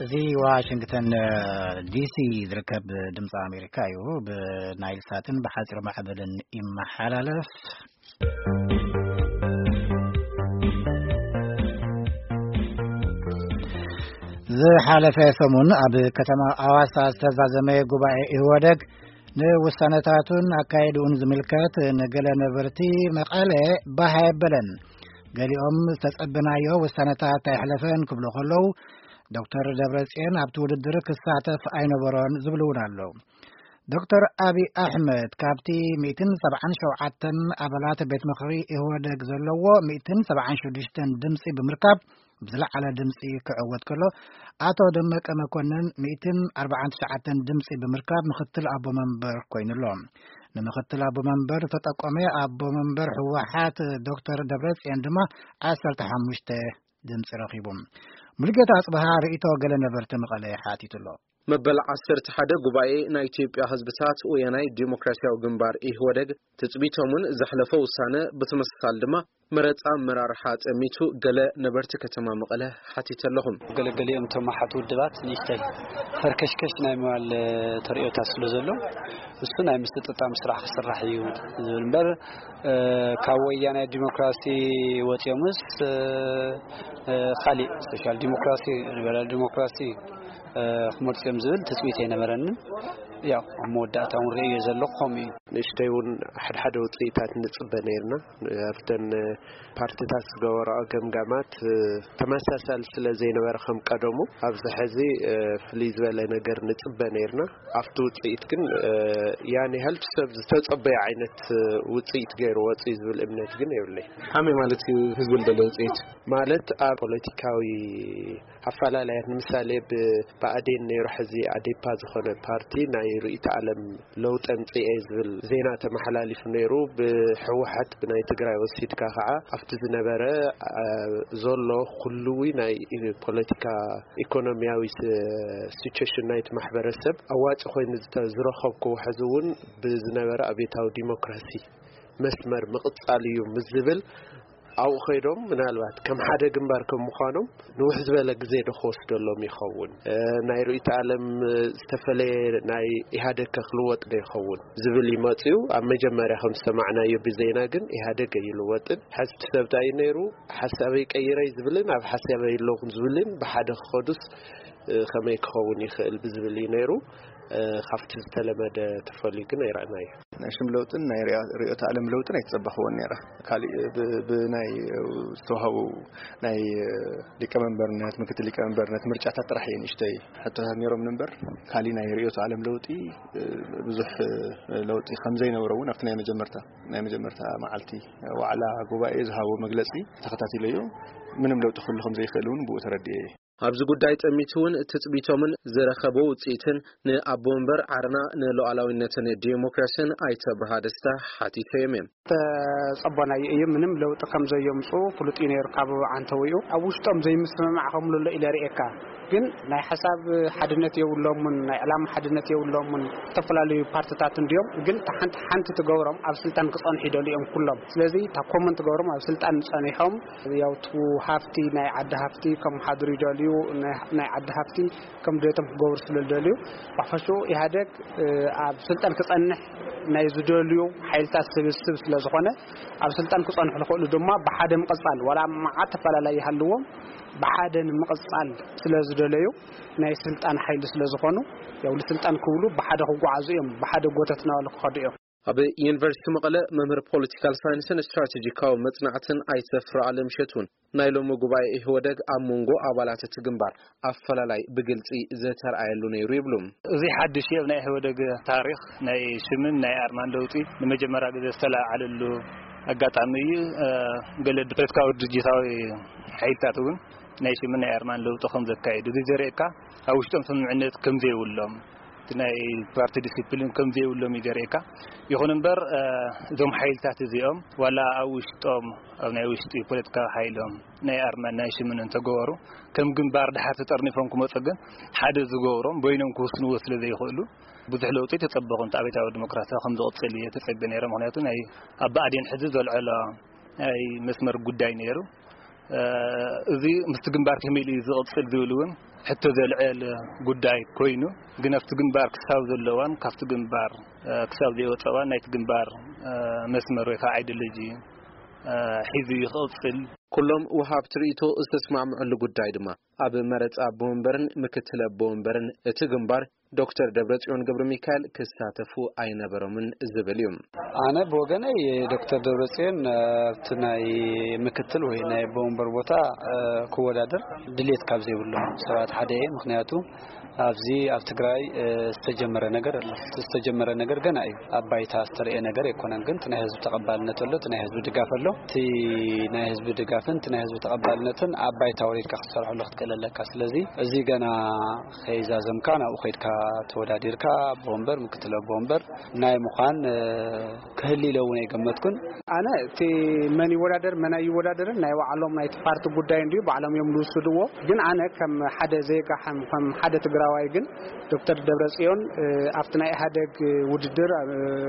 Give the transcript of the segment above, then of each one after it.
እዚ ዋሽንግተን ዲሲ ዝርከብ ድምፂ ኣሜሪካ እዩ። ብናይል ሳትን ብሓፂር ማዕበልን ይመሓላለፍ። ዝሓለፈ ሰሙን ኣብ ከተማ ኣዋሳ ዝተዛዘመ ጉባኤ ኢህወደግ ንውሳነታቱን ኣካይድኡን ዝምልከት ንገለ ነበርቲ መቐለ ባህ ኣየበለን። ገሊኦም ዝተጸበናዮ ውሳነታት ኣይሕለፈን ክብሉ ከለዉ፣ ዶክተር ደብረጽዮን ኣብቲ ውድድር ክሳተፍ ኣይነበሮን ዝብሉ እውን ኣለዉ። ዶክተር ኣብይ ኣሕመድ ካብቲ ሚእትን ሰብዓን ሸውዓተን ኣባላት ቤት ምኽሪ ኢህወደግ ዘለዎ ሚእትን ሰብዓን ሽዱሽተን ድምፂ ብምርካብ ብዝለዓለ ድምፂ ክዕወት ከሎ፣ ኣቶ ደመቀ መኮንን ሚእትን ኣርባዓን ትሽዓተን ድምፂ ብምርካብ ምኽትል ኣቦ መንበር ኮይኑ ኣሎ። ንምኽትል ኣቦ መንበር ዝተጠቆመ ኣቦ መንበር ህወሓት ዶክተር ደብረጽዮን ድማ ዓሰርተ ሓሙሽተ ድምፂ ረኺቡ። ሙሉጌታ ኣጽብሃ ርእይቶ ገለ ነበርቲ መቐለ ሓቲቱ ኣሎ። መበል ዓሰርተ ሓደ ጉባኤ ናይ ኢትዮጵያ ህዝብታት ወያናይ ዲሞክራሲያዊ ግንባር ኢህወደግ ትጽቢቶምን ዘሕለፎ ውሳነ ብትምስሳል ድማ መረጻ ኣመራርሓ ጠሚቱ ገለ ነበርቲ ከተማ መቐለ ሓቲተ ኣለኹም። ገለገሊኦም እቶም ኣሓት ውድባት ንእሽተይ ፈርከሽከሽ ናይ ምባል ተርእዮታት ስለ ዘሎ፣ እሱ ናይ ምስጥጣም ስራሕ ክስራሕ እዩ ዝብል እምበር፣ እ፣ ካብ ወያናይ ዲሞክራሲ ወፂኦምስ፣ እ፣ እ፣ ካሊእ ሶሻል ዲሞክራሲ፣ ሊበራል ዲሞክራሲ፣ እ፣ ክመርፁ እዮም ዝብል ትፅቢት ኣይነበረንን። ያው ኣብ መወዳእታ እውን ርእዮ ዘለኹ ከምኡ እዩ። ንእሽተይ እውን ሓድሓደ ውፅኢታት ንፅበ ነይርና። ኣብተን ፓርቲታት ዝገበረኦ ገምጋማት፣ እ፣ ተመሳሳሊ ስለ ዘይነበረ ከም ቀደሙ ኣብዚ ሕዚ፣ እ፣ ፍልይ ዝበለ ነገር ንፅበ ነይርና። ኣብቲ ውፅኢት ግን፣ እ፣ ያን ያህል ሰብ ዝተፀበየ ዓይነት፣ እ፣ ውፅኢት ገይሩ ወፅኡ ዝብል እምነት ግን የብለይ። ከመይ ማለት እዩ ህዝቢ ዝደለዮ ውፅኢት? ማለት ኣብ ፖለቲካዊ ኣፈላላያት ንምሳሌ ብብኣዴን ነይሩ ሕዚ ኣዴፓ ዝኾነ ፓርቲ ናይ ርእይተ ዓለም ለውጢ ኣምፅኤ ዝብል ዜና ተመሓላሊፉ ነይሩ። ብህወሓት ብናይ ትግራይ ወሲድካ ከዓ ኣብቲ ዝነበረ፣ አ፣ ዘሎ ኩልዊ ናይ ፖለቲካ ኢኮኖሚያዊ ስ-፣ ሲቹዌሽን ናይቲ ማሕበረሰብ ኣዋፂ ኮይኑ ዝተ-፣ ዝረኸብኩዎ ሕዚ እውን ብዝነበረ ኣብዮታዊ ዲሞክራሲ መስመር ምቕፃል እዩ ምስ ዝብል ኣብኡ ከይዶም ምናልባት ከም ሓደ ግንባር ከም ምዃኖም ንውሕ ዝበለ ግዜ ዶ ክወስደሎም ይኸውን? እ፣ ናይ ርእይቶ ዓለም ዝተፈለየ ናይ ኢህኣደግ ከ ክልወጥ ዶ ይኸውን ዝብል ይመፅኡ። ኣብ መጀመርያ ከም ዝሰማዕናዮ ብዜና ግን ኢህኣደግ ኣይልወጥን። ሕዚ እቲ ሰብ እንታይ እዩ ነይሩ? ሓሳበይ ቀይረይ ዝብልን ኣብ ሓሳበይ ኣለኹን ዝብልን ብሓደ ክኸዱስ፣ እ፣ ከመይ ክኸውን ይኽእል ብዝብል እዩ ነይሩ። እ፣ ካብቲ ዝተለመደ ተፈልዩ ግን ኣይረኣናዮ። ናይ ሽም ለውጥን ናይ ርያ-፣ ርዕዮተ ዓለም ለውጥን ኣይተጸበኽዎን ነይረ። ካሊእ ብ-፣ ብናይ ዝተዋህቡ ናይ ሊቀመንበርነት፣ ምክትል ሊቀመንበርነት ምርጫታት ጥራሕ እየ ንእሽተይ ሕቶታት ነይሮም እምበር፣ ካሊእ ናይ ርዕዮተ ዓለም ለውጢ፣ እ፣ ብዙሕ፣ እ፣ ለውጢ ከም ዘይነበሮ እውን ኣብቲ ናይ መጀመርታ፣ ናይ መጀመርታ መዓልቲ ዋዕላ ጉባኤ ዝሃቦ መግለጺ ተኸታቲለዮ። ምንም ለውጢ ክህሉ ከም ዘይክእል እውን ብኡ ተረዲኤ እየ። ኣብዚ ጉዳይ ጠሚቱ እውን ትጽቢቶምን ዝረኸቦ ውጽኢትን ንኣቦ መንበር ዓረና ንሉዓላዊነትን ዲሞክራስን ኣይተ ብርሃ ደስታ ሓቲተዮም እዮም። ተጸቦናዮ እዩ። ምንም ለውጢ ከም ዘየምጽኡ ፍሉጥ እዩ ነይሩ ካብ ዓንተውኡ። ኣብ ውሽጦም ዘይምስምማዕ ከም ዘሎ ኢለ ርእየካ። ግን ናይ ሓሳብ ሓድነት የብሎምን፣ ናይ ዕላማ ሓድነት የብሎምን። ዝተፈላለዩ ፓርትታት እንድዮም፣ ግን እታ ሓንቲ ሓንቲ ትገብሮም ኣብ ስልጣን ክጸንሑ ይደልዩ እዮም ኩሎም። ስለዚ እታ ኮመን ትገብሮም ኣብ ስልጣን ጸኒሖም፣ ያው እቲ ሃፍቲ ናይ ዓዲ ሃፍቲ ከም ሓድሩ ይደልዩ፣ ናይ፣ ናይ ዓዲ ሃፍቲ ከም ድሌቶም ክገብሩ ስለ ዝደልዩ፣ ብሓፈሽኡ ኢህኣደግ፣ እ፣ ኣብ ስልጣን ክጸንሕ ናይ ዝደልዩ ሓይልታት ስብስብ ስለ ዝኾነ፣ ኣብ ስልጣን ክጸንሑ ዝኽእሉ ድማ ብሓደ ምቕጻል፣ ዋላ መዓት ተፈላለይ ይሃልዎም፣ ብሓደ ንምቕጻል ስለ ዝደለዩ፣ ናይ ስልጣን ሓይሊ ስለ ዝኾኑ፣ ያው ንስልጣን ክብሉ ብሓደ ክጓዓዙ እዮም፣ ብሓደ ጎተት እናበሉ ክኸዱ እዮም። ኣብ ዩኒቨርሲቲ መቐለ መምህር ፖለቲካል ሳይንስን ስትራቴጂካዊ መጽናዕትን ኣይተ ፍርኣለም እሸት እውን ናይ ሎሚ ጉባኤ ኢህወደግ ኣብ መንጎ ኣባላት እቲ ግንባር ኣፈላላይ ብግልጺ ዝተርኣየሉ ነይሩ ይብሉ። እዚ ሓድሽ እዩ ኣብ ናይ ኢህወደግ ታሪኽ፣ ናይ ሽምን ናይ ኣርማን ለውጢ ንመጀመርያ ግዜ ዝተለዓለሉ ኣጋጣሚ እዩ። እ፣ ገለ ፖለቲካዊ ድርጅታዊ ሓይልታት እውን ናይ ሽምን ናይ ኣርማን ለውጢ ከም ዘካየዱ እዚ ዘርእየካ ኣብ ውሽጦም ስምምዕነት ከም ዘይብሎም፣ እቲ ናይ ፓርቲ ዲሲፕሊን ከም ዘይብሎም እዩ ዘርእየካ። ይኹን እምበር፣ እ፣ እዞም ሓይልታት እዚኦም ዋላ ኣብ ውሽጦም፣ ኣብ ናይ ውሽጢ ፖለቲካዊ ሓይሎም ናይ ኣርማን ናይ ሽምን እንተገበሩ፣ ከም ግንባር ድሓር ተጠርኒፎም ክመፁ ግን ሓደ ዝገብሮም በይኖም ክውስንዎ ስለ ዘይኽእሉ ብዙሕ ለውጢ ተጸበኹ። እንተ ኣብዮታዊ ዲሞክራሲ ከም ዝቕጽል እየ ተጸብየ ነይረ። ምኽንያቱ ናይ ኣብ ብኣዴን ሕዚ ዘልዐሎ ናይ መስመር ጉዳይ ነይሩ። እ፣ እዚ ምስቲ ግንባር ከመይ ኢሉ እዩ ዝቕጽል ዝብል እውን ሕቶ ዘልዕል ጉዳይ ኮይኑ፣ ግን ኣብቲ ግንባር ክሳብ ዘለዋን ካብቲ ግንባር ክሳብ ዘይወፀዋን ናይቲ ግንባር መስመር ወይ ከዓ ኣይዲዮሎጂ ሒዙ ይቕፅል። ኩሎም ወሃብቲ ርእይቶ ዝተስማምዕሉ ጉዳይ ድማ ኣብ መረፃ ኣቦ ወንበርን ምክትል ኣቦ ወንበርን እቲ ግንባር ዶክተር ደብረጽዮን ገብረ ሚካኤል ክሳተፉ ኣይነበሮምን ዝብል እዩ። ኣነ ብወገነይ ዶክተር ደብረጽዮን ኣብቲ ናይ ምክትል ወይ ናይ ኣቦ ወንበር ቦታ ክወዳደር ድሌት ካብ ዘይብሎም ሰባት ሓደ እየ። ምክንያቱ ኣብዚ ኣብ ትግራይ ዝተጀመረ ነገር ኣሎ። ዝተጀመረ ነገር ገና እዩ። ኣብ ባይታ ዝተረኤ ነገር ኣይኮነን። ግን እቲ ናይ ህዝቢ ተቐባልነት ኣሎ፣ እቲ ናይ ህዝቢ ድጋፍ ኣሎ። እቲ ናይ ህዝቢ ድጋፍን እቲ ናይ ህዝቢ ተቐባልነትን ኣብ ባይታ ወሪድካ ክትሰርሐሉ ክትክእል ኣለካ። ስለዚ እዚ ገና ከይዛዘምካ ናብኡ ከይድካ ተወዳዲርካ ኣቦ ወንበር፣ ምክትል ኣቦ ወንበር ናይ ምዃን ክህሊ ኢለ እውን ኣይገመትኩን። ኣነ እቲ መን ይወዳደር መን ኣይወዳደርን ናይ ባዕሎም ናይቲ ፓርቲ ጉዳይ እንድዩ፣ ባዕሎም እዮም ዝውስድዎ። ግን ኣነ ከም ሓደ ዜጋ ከም ሓደ ትግራዋይ ግን ዶክተር ደብረጽዮን ኣብቲ ናይ ኢህኣደግ ውድድር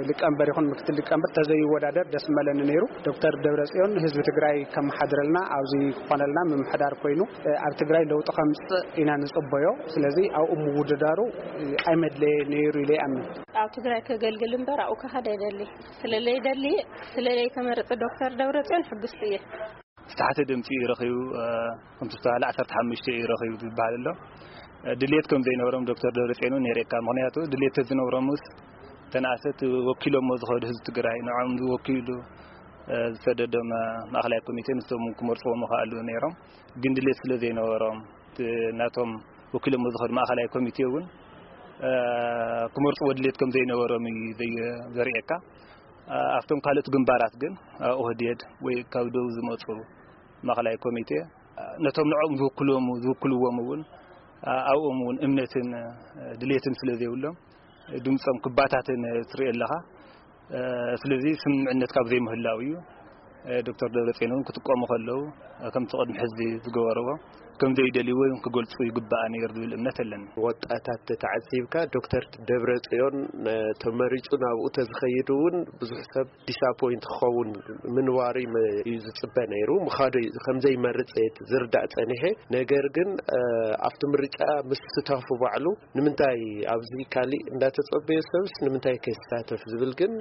ሊቀመንበር ይኹን ምክትል ሊቀመንበር ተዘይወዳደር ደስ መለኒ ነይሩ። ዶክተር ደብረጽዮን ህዝቢ ትግራይ ከመሓድረልና ኣብዚ ክኾነልና ምምሕዳር ኮይኑ ኣብ ትግራይ ለውጢ ከምፅእ ኢና ንፅበዮ። ስለዚ ኣብኡ ምውድዳሩ ኣይመድለየ ነይሩ ኢለ ይኣምን። ኣብ ትግራይ ከገልግል እምበር ኣብኡ ክኸድ ኣይደሊ። ስለለይደሊ ስለለይተመርፀ ዶክተር ደብረጽዮን ሕጉስቲ እየ። ዝተሓተ ድምፂ እዩ ረኺቡ። ከምቲ ዝተባሃለ ዓሰርተ ሓሙሽተ እዩ ረኺቡ ዝበሃል ኣሎ። ድሌት ከም ዘይነበሮም ዶክተር ደብረፅዮን እውን የርእየካ። ምክንያቱ ድሌት ተዝነብሮምስ ተንኣሰት ወኪሎሞ ዝኸዱ ህዝቢ ትግራይ ንዖም ዝወኪሉ ዝሰደዶም ማእኸላይ ኮሚቴ ንሶም ክመርፅዎ ምኽኣሉ ነይሮም። ግን ድሌት ስለ ዘይነበሮም ናቶም ወኪሎሞ ዝኸዱ ማእኸላይ ኮሚቴ እውን ክመርፅዎ ድሌት ከም ዘይነበሮም እዩ ዘርእየካ። ኣብቶም ካልኦት ግንባራት ግን ኦህዴድ ወይ ካብ ደቡብ ዝመፁ ማእኸላይ ኮሚቴ ነቶም ንዕኦም ዝውክልዎም ዝውክልዎም እውን ኣብኦም እውን እምነትን ድሌትን ስለ ዘይብሎም ድምፆም ክባታተን ትርኢ ኣለኻ። ስለዚ ስምምዕነት ካብ ዘይምህላው እዩ ዶክተር ደብረፅዮን እውን ክጥቀሙ ከለዉ ከምቲ ቅድሚ ሕዚ ዝገበርዎ ከም ዘይደልይዎ ክገልፁ ይግባእ ነይሩ ዝብል እምነት ኣለኒ። ወጣታት ተተዓዚብካ ዶክተር ደብረፅዮን ተመሪፁ ናብኡ ተዝኸይድ እውን ብዙሕ ሰብ ዲስኣፖይንት ክኸውን ምንባሩ እዩ ዝፅበ ነይሩ። ምኻዱ ከም ዘይመርፅ ዝርዳእ ፀኒሐ። ነገር ግን ኣብቲ ምርጫ ምስታፉ ባዕሉ ንምንታይ ኣብዚ ካሊእ እንዳተፀበየ ሰብስ ንምንታይ ከይስታተፍ ዝብል ግን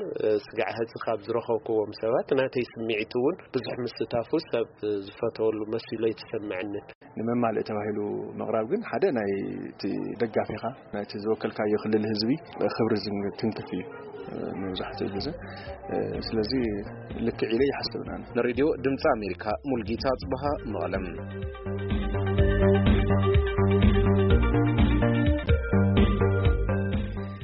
ስጋዕ ሕዚ ካብ ዝረኸብክዎም ሰባት ናተይ ስምዒት እውን ብዙሕ ምስታፉ ሰብ ዝፈተወሉ መሲሉ ኣይተሰምዐንን። ንመማልእ ተባሂሉ ምቕራብ ግን ሓደ ናይ እቲ ደጋፊኻ ናይቲ ዝወከልካዮ ክልል ህዝቢ ክብሪ ዝትንክፍ እዩ መብዛሕትኡ ግዜ። ስለዚ ልክዕ ኢለ ይሓስብና። ንሬድዮ ድምፂ ኣሜሪካ ሙልጌታ ኣፅበሃ መቐለም።